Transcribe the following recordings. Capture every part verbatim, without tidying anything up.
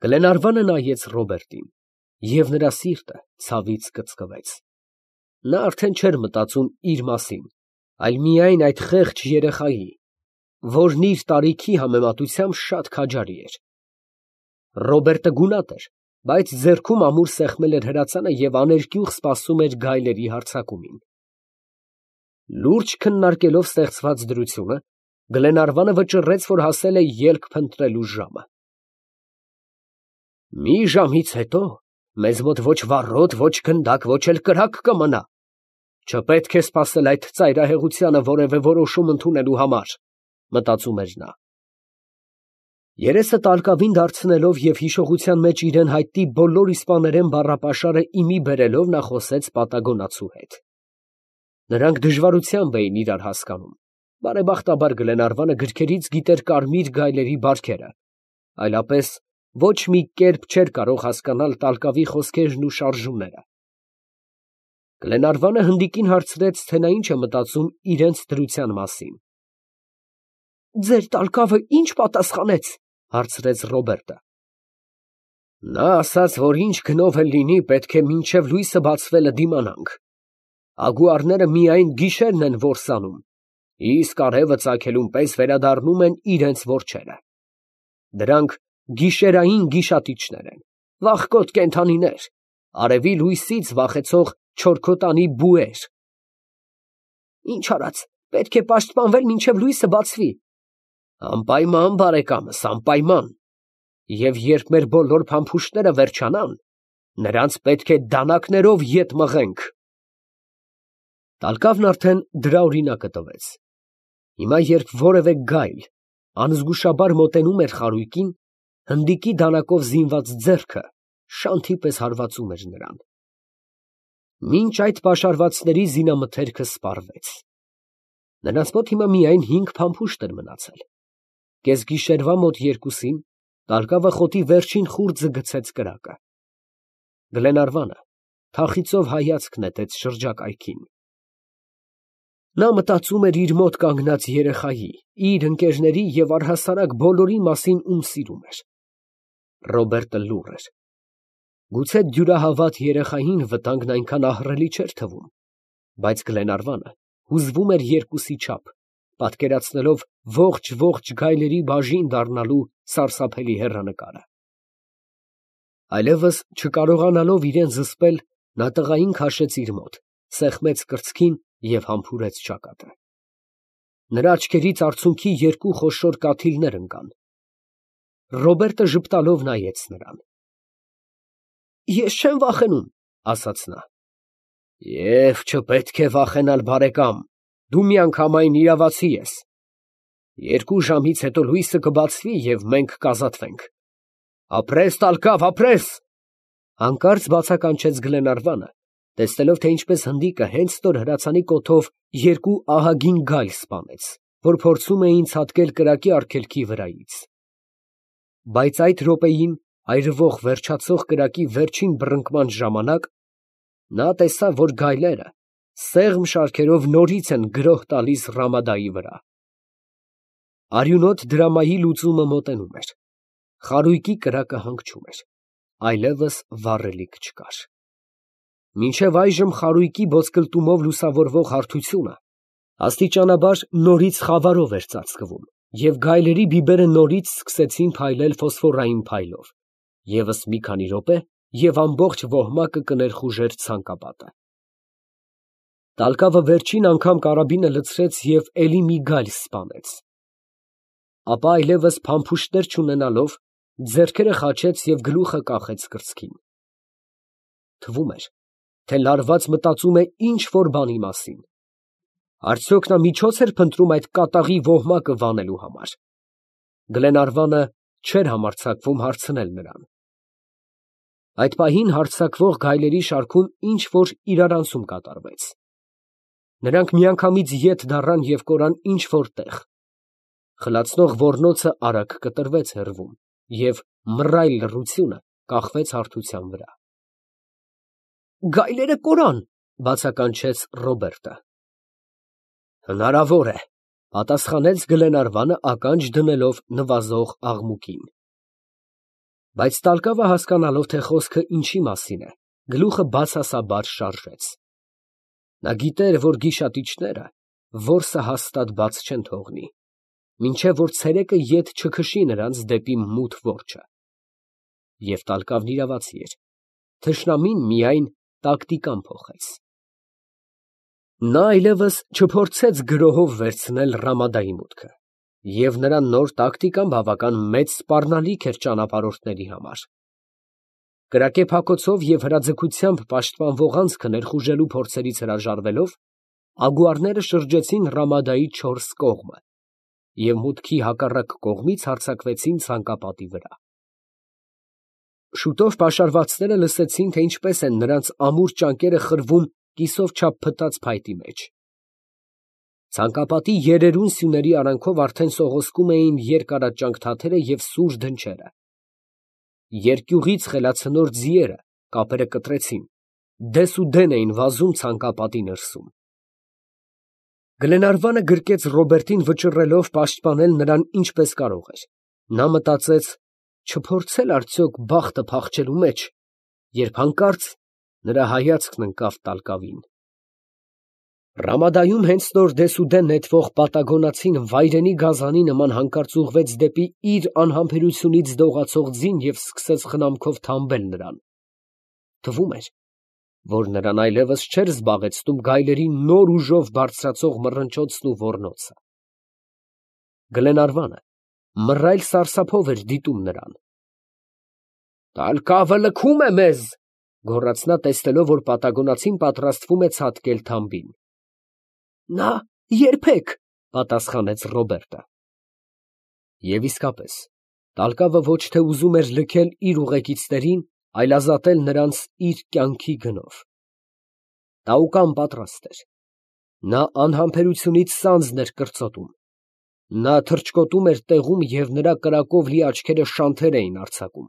Գլենարվանը նայեց Ռոբերտին, և նրա սիրտը ցավից կծկվեց. նա արդեն չէր մտածում իր մասին, այլ միայն այդ խեղճ երեխայի, որն իր տարիքի համեմատությամբ շատ քաջարի էր։ Ռոբերտը գունատ էր, բայց ձեռքում ամուր սեղմել էր հրացանը և աներկյուղ սպասում էր գայլերի հարձակումին։ Լուրջ քննարկելով ստեղծված դրությունը, Գլենարվանը վճռեց, որ հասել է ելք փնտրելու ժամը։ «Մի ժամից հետո մեզ մոտ ոչ վառոդ, ոչ գնդակ, ոչ էլ կրակ կմնա. չպետք է սպասել այդ ծայրահեղությանը որևէ որոշում ընդունելու համար», ֊ մտածում էր նա։ Երեսը տալկավին դարձնելով և հիշողության մեջ իրան հայտնի բոլոր իսպաներեն բառապաշարը ի մի բերելով, նա խոսեց պատագոնացու հետ։ Նրանք դժվարությամբ էին իրար հասկանում. բարեբախտաբար Գլենարվանը գրքերից գիտեր կարմիր գայլերի բարքերը, այլապես ոչ մի կերպ չէր կարող հասկանալ տալկավի խոսքերն ու շարժումները։ Գլենարվանը հնդիկին հարցրեց, թե նա ինչ է մտածում իրենց դրության մասին։ «Ձեր տալկավը ի՞նչ պատասխանեց», ֊ հարցրեց Ռոբերտը։ «Նա ասաց, որ ինչ գնով էլ լինի, պետք է մինչև լույսը բացվելը դիմանանք. ագուարները միայն գիշերն են որսանում, իսկ արևը ծագելուն պես վերադառնում են իրանց որջերը. դրանք գիշերային գիշատիչներ են, վախկոտ կենդանիներ, արևի լույսից վախեցող չորքոտանի բուեր»։ «Ինչ արած, պետք է պաշտպանվել մինչև լույսը բացվի»։ «Անպայման, բարեկամս, անպայման, և երբ մեր բոլոր փամփուշտները վերջանան, նրանց պետք է դանականերով ետ մղենք»։ Տալկավն արդեն դրա օրինակը տվեց։ Հիմա, երբ որևէ գայլ անզգուշաբար մոտենում էր խարույկին, հնդիկի դանակով զինված ձեռքը շանթի պես հարվածում էր նրան։ Մինչ այդ պաշարվածների զինամթերքը սպառվեց։ Նրանց մոտ հիմա միայն հինգ փամփուշտ էր մնացել։ Կեսգիշերվա մոտ երկուսին տալկավը խոտի վերջին խուրձը գցեց կրակը։ Գլենարվանը թախիծով հայացք նետեց շրջակայքին։ Նա մտածում էր իր մոտ կանգնած երեխայի, իր ընկերների և առհասարակ բոլորի մասին, ում սիրում էր։ Ռոբերտը լուռ էր։ Գուցե դյուրահավատ երեխային վտանգն այնքան ահռելի չէր թվում, բայց Գլենարվանը հուզվում էր երկուսի չափ, պատկերացնելով ողջ֊ողջ գայլերի բաժին դառնալու սարսափելի հեռանկարը։ Այլևս չկարողանալով իրան զսպել, նա տղային քաշեց իր մոտ, սեղմեց կրծքին և համբուրեց ճակատը։ Նրա աչքերից արցունքի երկու խոշոր կաթիլներ ընկան։ Ռոբերտը ժպտալով նայեց նրան։ «Ես չեմ վախենում», ֊ ասաց նա։ «Եվ չպետք է վախենալ, բարեկամ, դու միանգամայն իրավացի ես։ Երկու ժամից հետո լույսը կբացվի, և մենք կազատվենք։ Ապրես, տալկավ, ապրես», ֊ հանկարծ բացականչեց Գլենարվանը, տեսնելով, թե ինչպես հնդիկը հենց նոր հրացանի կոթով երկու ահագին գայլ սպանեց, որ փորձում էին ցատկել կրակի արգելքի վրայից։ Բայց այդ րոպեին այրվող վերջացող կրակի վերջին բռնկման ժամանակ նա տեսավ, որ գայլերը սեղմ շարքերով նորից են գրոհ տալիս Ռամադայի վրա։ Արյունոտ դրամայի լուծումը մոտենում էր։ Խարույկի կրակը հանգչում էր, այլևս վառելիք չկար։ Մինչև այժմ խարույկի ոսկլտումով լուսավորվող հարթությունը աստիճանաբար նորից խավարով էր ծածկվում, և գայլերի բիբերը նորից սկսեցին փայլել ֆոսֆորային փայլով, ևս մի քանի րոպե, և ամբողջ ոհմակը կներխուժեր ցանկապատը։ Տալկավը վերջին անգամ կարաբինը լցրեց և էլի մի գայլ սպանեց։ Ապա այլևս փամփուշտներ չունենալով, ձեռքերը խաչեց և գլուխը կախեց կրծքին։ Թվում էր, թե լարված մտածում է ինչ֊որ բանի մասին։ Արդյոք նա միջո՞ց էր փնտրում այդ կատաղի ոհմակը վանելու համար։ Գլենարվանը չէր համարձակվում հարցնել նրան։ Այդ պահին հարձակվող գայլերի շարքում ինչ֊որ իրարանցում կատարվեց։ Նրանք միանգամից ետ դառան և կորան ինչ֊որ տեղ։ Խլացնող ոռնոցը արագ կտրվեց հեռվում, և մռայլ լռությունը կախվեց հարթության վրա։ «Գայլերը կորան», ֊ բացականչեց Ռոբերտը։ «Հնարավոր է», ֊ պատասխանեց Գլենարվանը ականջ դնելով նվազող աղմուկին։ Բայց տալկավը հասկանալով, թե խոսքը ինչի մասին է, գլուխը բացասաբար շարժեց. նա գիտեր, որ գիշատիչները որսը հաստատ բաց չեն թողնի, մինչև որ ցերեկը ետ չքշի նրանց դեպի մութ որջը։ Եվ տալկավն իրավացի էր, թշնամին միայն տակտիկան փոխեց։ Նա այլևս չփորձեց գրոհով վերցնել Ռամադայի մուտքը, և նրա նոր տակտիկան բավական մեծ սպառնալիք էր ճանապարհորդների համար։ Կրակե փակոցով և հրաձգությամբ պաշտպանվող անցքը ներխուժելու փորձերից հրաժարվելով, ագուարները շրջեցին Ռամադայի չորս կողմը և մուտքի հակառակ կողմից հարձակվեցին ցանկապատի վրա։ Շուտով պաշարվածները լսեցին, թե ինչպես են նրանց ամուր ճանկերը խրվում կիսով չափ փտած փայտի մեջ։ Ցանկապատի երերուն սյուների արանքով արդեն սողոսկում էին երկարաճանք թաթերը և սուր դնչերը։ Երկյուղից խելացնոր ձիերը կապերը կտրեցին, դեսուդեն էին վազում ցանկապատի ներսում։ Գլենարվանը գրկեց Ռոբերտին, վճռելով պաշտպանել նրան ինչպես կարող էր։ Նա մտածեց չփորձել արդյոք բախտը փախչելու մեջ, երբ հանկարծ նրա հայացքն ընկավ տալկավին։ Ռամադայում հենց նոր դեսուդեն նետվող պատագոնացին վայրենի գազանի նման հանկարծ ուղղվեց դեպի իր անհամբերությունից դողացող ձին և սկսեց խնամքով թամբել նրան։ Թվում էր, որ նրան այլևս չէր զբաղեցնում գայլերի նոր ուժով բարձրացող մռնչոցն ու ոռնոցը։ Գլենարվանը մռայլ սարսափով էր դիտում նրան։ «Տալկավը լքում է մեզ», ֊ գոռաց նա, տեսնելով, որ պատագոնացին պատրաստվում է ցատկել թամբին։ «Նա երբեք», ֊ պատասխանեց Ռոբերտը։ Եվ իսկապես, տալկավը ոչ թե ուզում էր լքել իր ուղեկիցներին, այլ ազատել նրանց իր կյանքի գնով։ Տաուկան պատրաստ էր։ Նա անհամբերությունից սանձն էր կրծոտում։ Նա թռչկոտում էր տեղում, և նրա կրակով լի աչքերը շանթեր էին արձակում։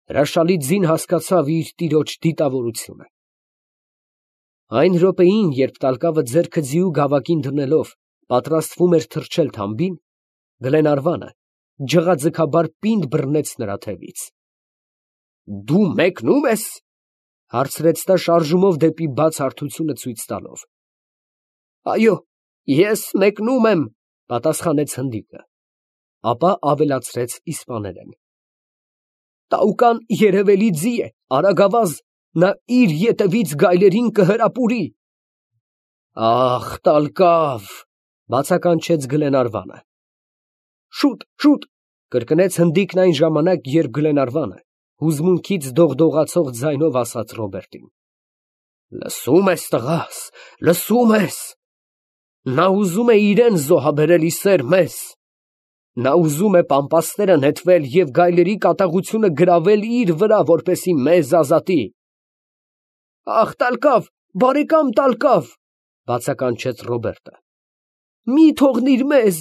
Հրաշալի ձին հասկացավ իր տիրոջ դիտավորությունը։ Այն րոպեին, երբ տալկավը ձեռքը ձիու գավակին դնելով պատրաստվում էր թռչել թամբին, Գլենարվանը ջղաձգաբար պինդ բռնեց նրա թևից։ «Դու մեկնո՞ւմ ես», ֊ հարցրեց նա շարժումով դեպի բաց հարթությունը ցույց տալով։ «Այո, ես մեկնում եմ», ֊ պատասխանեց հնդիկը, ապա ավելացրեց իսպաներեն. «Տաուկան երևելի ձի է, արագավազ, նա իր ետևից գայլերին կհրապուրի»։ «Ախ, տալկավ», ֊ բացականչեց Գլենարվանը։ «Շուտ, շուտ», ֊ կրկնեց հնդիկն այն ժամանակ, երբ Գլենարվանը հուզմունքից դողդողացող ձայնով ասաց Ռոբերտին. «Լսո՞ւմ ես, տղաս, լսո՞ւմ ես։ Նա ուզում է իրան զոհաբերել ի սեր մեզ։ Նա ուզում է պամպասները նետվել և գայլերի կատաղությունը գրավել իր վրա, որպեսզի մեզ ազատի»։ «Ախ, տալկավ, բարեկամ տալկավ», ֊ բացականչեց Ռոբերտը, «մի թողնիր մեզ»։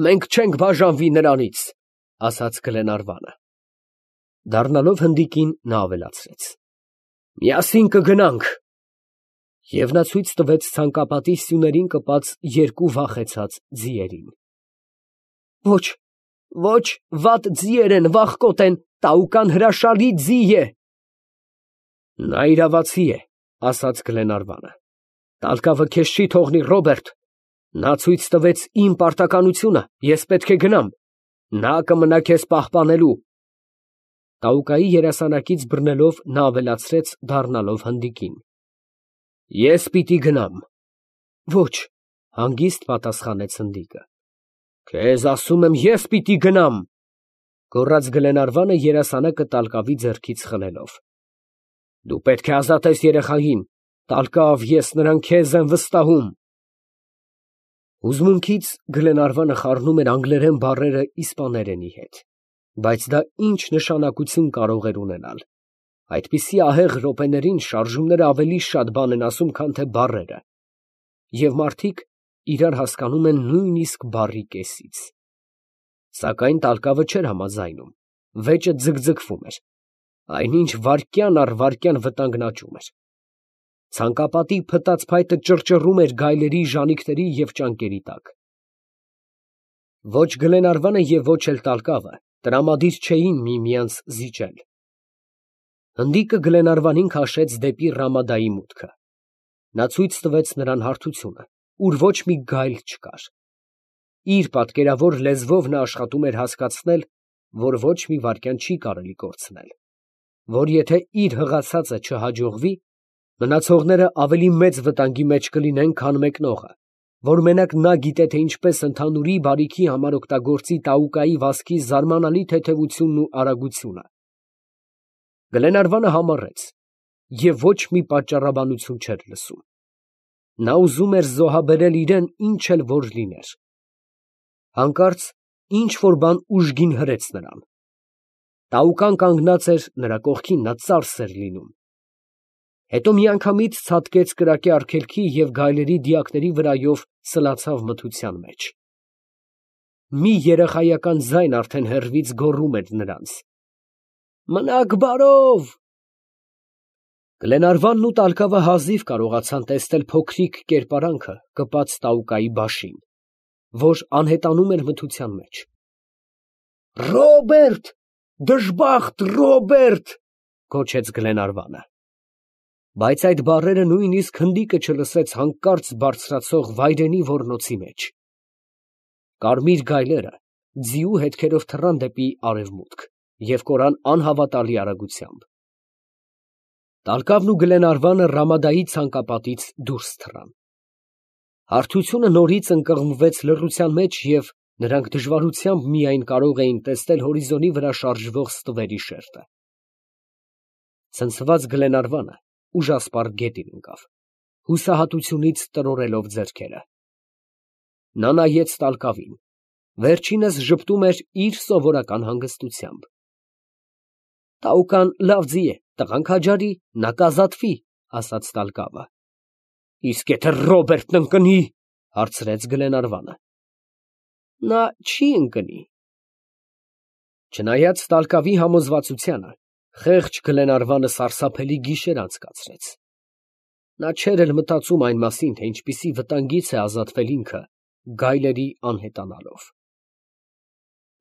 «Մենք չենք բաժանվի նրանից», ֊ ասաց Գլենարվանը։ Դառնալով հնդիկին, նա ավելացրեց. «Միասին կգնանք»։ Եվ նա ցույց տվեց ցանկապատի սյուներին կպած երկու վախեցած ձիերին։ «Ոչ, ոչ, վատ ձիեր են, վախկոտ են, տաուկան հրաշալի ձի է»։ «Նա իրավացի է», ֊ ասաց Գլենարվանը։ «Տալկավը քեզ չի թողնի, Ռոբերտ։ Նա ցույց տվեց իմ պարտականությունը, ես պետք է գնամ։ Նա կմնա քեզ պահպանելու»։ Տաուկայի երասանակից բռնելով, նա ավելացրեց, դառնալով հնդիկին. «Ես պիտի գնամ»։ «Ոչ», ֊ հանգիստ պատասխանեց հնդիկը։ «Քեզ ասում եմ, ես պիտի գնամ», ֊ գոռաց Գլենարվանը, երասանակը տալկավի ձեռքից խլելով։ «Դու պետք է ազատես երեխային, տալկավ, ես նրան քեզ եմ վստահում»։ Հուզմունքից Գլենարվանը խառնում էր անգլերեն բառերը իսպաներենի հետ, բայց դա ինչ նշանակություն կարող էր ունենալ։ Այդպիսի ահեղ րոպեներին շարժումները ավելի շատ բան են ասում, քան թե բառերը, և մարդիկ իրար հասկանում են նույնիսկ բառի կեսից։ Սակայն տալկավը չէր համաձայնում, վեճը ձգձգվում էր, այնինչ վայրկյան առ վայրկյան վտանգն աճում էր։ Ցանկապատի փտած փայտը ճռճռում էր գայլերի ժանիքների և ճանկերի տակ։ Ոչ Գլենարվանը և ոչ էլ տալկավը Տրամադիր չէին միմյանց զիջել։ Հնդիկը Գլենարվանին քաշեց դեպի Ռամադայի մուտքը։ Նա ցույց տվեց նրան հարթությունը, ուր ոչ մի գայլ չկար։ Իր պատկերավոր լեզվով նա աշխատում էր հասկացնել, որ ոչ մի վայրկյան չի կարելի կորցնել, որ եթե իր հղացածը չհաջողվի, մնացողները ավելի մեծ վտանգի մեջ կլինեն, քան մեկնողը, որ մենակ նա գիտե, թե ինչպես ընդհանուրի բարիքի համար օգտագործի Տաուկայի վազքի զարմանալի թեթևությունն ու արագությունը։ Գլենարվանը համառեց և ոչ մի պատճառաբանություն չէր լսում։ Նա ուզում էր զոհաբերել իրան ինչ էլ որ լիներ։ Հանկարծ ինչ որ բան ուժգին հրեց նրան։ Տաուկան կանգնած էր նրա կողքին, նա ծարս էր լինում։ Հետո միանգամից ցատկեց կրակե արգելքի և գայլերի դիակների վրայով սլացավ մթության մեջ։ Մի երեխայական ձայն արդեն հեռվից գոռում էր նրանց. «Մնաք բարով»։ Գլենարվանն ու տալկավը հազիվ կարողացան տեսնել փոքրիկ կերպարանքը կպած Տաուկայի բաշին, որ անհետանում էր մթության մեջ։ «Ռոբերտ, դժբախտ Ռոբերտ», գոչեց Գլենարվանը։ Բայց այդ բառերը նույնիսկ հնդիկը չլսեց հանկարծ բարձրացող վայրենի ոռնոցի մեջ։ Կարմիր գայլերը ձիու հետքերով թռան դեպի արևմուտք և կորան անհավատալի արագությամբ։ Տալկավն ու Գլենարվանը Ռամադայի ցանկապատից դուրս թռան։ Հարթությունը նորից ընկղմվեց լռության մեջ և նրանք դժվարությամբ միայն կարող էին տեսնել հորիզոնի վրա շարժվող ստվերի շերտը։ Ցնցված Գլենարվանը ուժասպառ գետին ընկավ, հուսահատությունից տրորելով ձեռքերը։ Նա նայեց տալկավին, վերջինս ժպտում էր իր սովորական հանգստությամբ։ «Տաուկան լավ ձի է, տղան քաջարի, նա կազատվի», ասաց տալկավը։ «Իսկ եթե Ռոբերտն ընկնի», հարցրեց Գլենարվանը։ «Նա չի ընկնի»։ Չնայած տալկավի համոզվածությանը, խեղճ Գլենարվանը սարսափելի գիշեր անցկացրեց։ Նա չէր էլ մտածում այն մասին, թե ինչպիսի վտանգից է ազատվել ինքը գայլերի անհետանալով։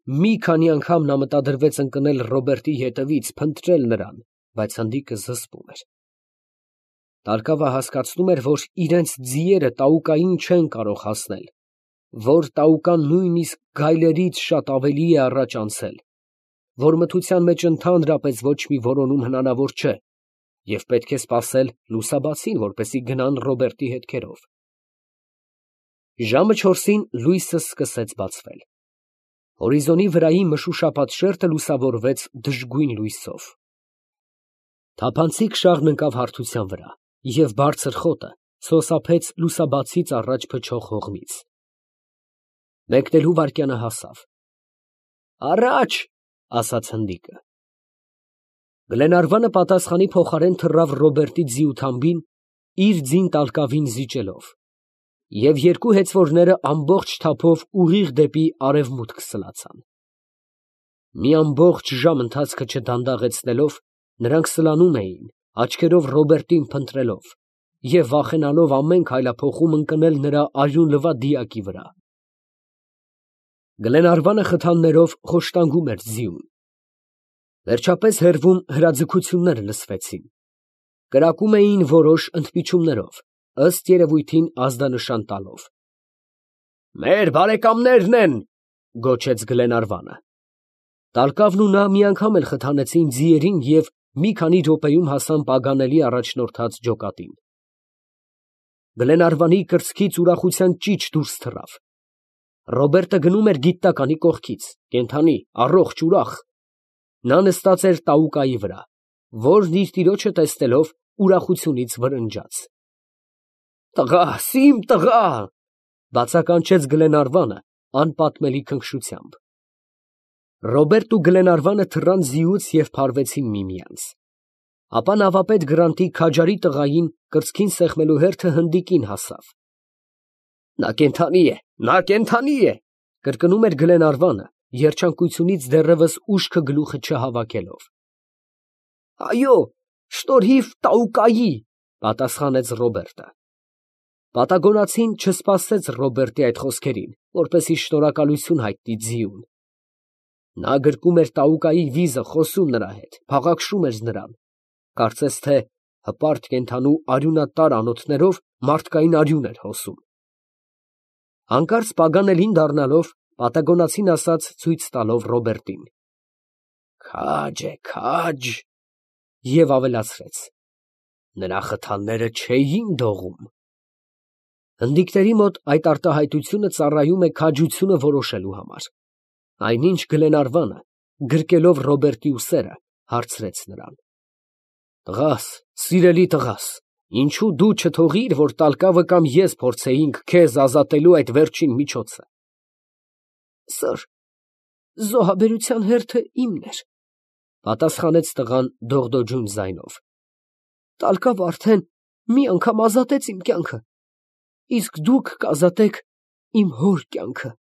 Մի քանի անգամ նա մտադրվեց ընկնել Ռոբերտի ետևից, փնտրել նրան, բայց հնդիկը զսպում էր։ Տալկավը հասկացնում էր, որ իրենց ձիերը Տաուկային չեն կարող հասնել, որ Տաուկան նույնիսկ գայլերից շատ ավելի է առաջ անցել, որ մթության մեջ ընդհանրապես ոչ մի որոնում հնարավոր չէ, և պետք է սպասել լուսաբացին, որպեսզի գնան Ռոբերտի հետքերով։ Ժամը չորսին լույսը սկսեց բացվել։ Հորիզոնի վրայի մշուշապատ շերտը լուսավորվեց դժգույն լույսով։ Թափանցիկ շաղն ընկավ հարթության վրա, և բարձր խոտը սոսափեց լուսաբացից առաջ փչող հողմից։ Մեկնելու վայրկյանը հասավ։ «Առաջ», ասաց հնդիկը։ Գլենարվանը պատասխանի փոխարեն թռավ Ռոբերտի ձիութամբին, իր ձին տալկավին զիջելով, և երկու հեծվորները ամբողջ թափով ուղիղ դեպի արևմուտք սլացան։ Մի ամբողջ ժամ ընթացքը չդանդաղեցնելով, նրանք սլանում էին, աչքերով Ռոբերտին փնտրելով և վախենալով ամեն քայլափոխում ընկնել նրա արյունլվա դիակի վրա։ Գլենարվանը խթաններով խոշտանգում էր ձիուն։ Վերջապես հեռվում հրաձգություններ լսվեցին։ Կրակում էին որոշ ընդմիջումներով, ըստ երևույթին ազդանշան տալով։ «Մեր բարեկամներն են», գոչեց Գլենարվանը։ Տալկավն ու նա մի անգամ էլ խթանեցին ձիերին և մի քանի րոպեում հասան պագանելի առաջնորդած ջոկատին։ Գլենարվանի կրծքից ուրախության ճիչ դուրս թռավ։ Ռոբերտը գնում էր գիտնականի կողքից, կենդանի, առողջ, ուրախ։ Նա նստած էր Տաուկայի վրա, որն իր տիրոջը տեսնելով ուրախությունից վրնջաց։ «Տղաս, իմ տղա», բացականչեց Գլենարվանը անպատմելի քնքշությամբ։ Ռոբերտն ու Գլենարվանը թռան ձիուց և փարվեցին միմյանց։ Ապա նավապետ Գրանտի քաջարի տղային կրծքին սեղմելու հերթը հնդիկին հասավ։ «Նա կենդանի է, նա կենդանի է», կրկնում էր Գլենարվանը, երջանկությունից դեռևս ուշքը գլուխը չհավաքելով։ «Այո, շնորհիվ Տաուկայի», պատասխանեց Ռոբերտը։ Պատագոնացին չսպասեց Ռոբերտի այդ խոսքերին, որպեսզի շնորհակալություն հայտնի ձիուն։ Նա գրկում էր տաուկայի վիզը, խոսում նրա հետ, փաղաքշում էր նրան, կարծես թե հպարտ կենդանու արյունատար անոթներով մարդկային արյուն էր հոսում։ Հանկարծ Պագանելին դառնալով, պատագոնացին ասաց, ցույց տալով Ռոբերտին. «Քաջ է, քաջ», և ավելացրեց. «Նրա խթանները չէին դողում»։ Հնդիկների մոտ այդ արտահայտությունը ծառայում է քաջությունը որոշելու համար։ Այնինչ Գլենարվանը, գրկելով Ռոբերտի ուսերը, հարցրեց նրան. «Տղաս, սիրելի տղաս, ինչո՞ւ դու չթողիր, որ տալկավը կամ ես փորձեինք քեզ ազատելու այդ վերջին միջոցը»։ Սըր, զոհաբերության հերթը իմն էր, ֊ պատասխանեց տղան դողդոջուն ձայնով. տալկավը արդեն մի անգամ ազատեց իմ կյանքը, իսկ դուք կազատեք իմ հոր կյանքը։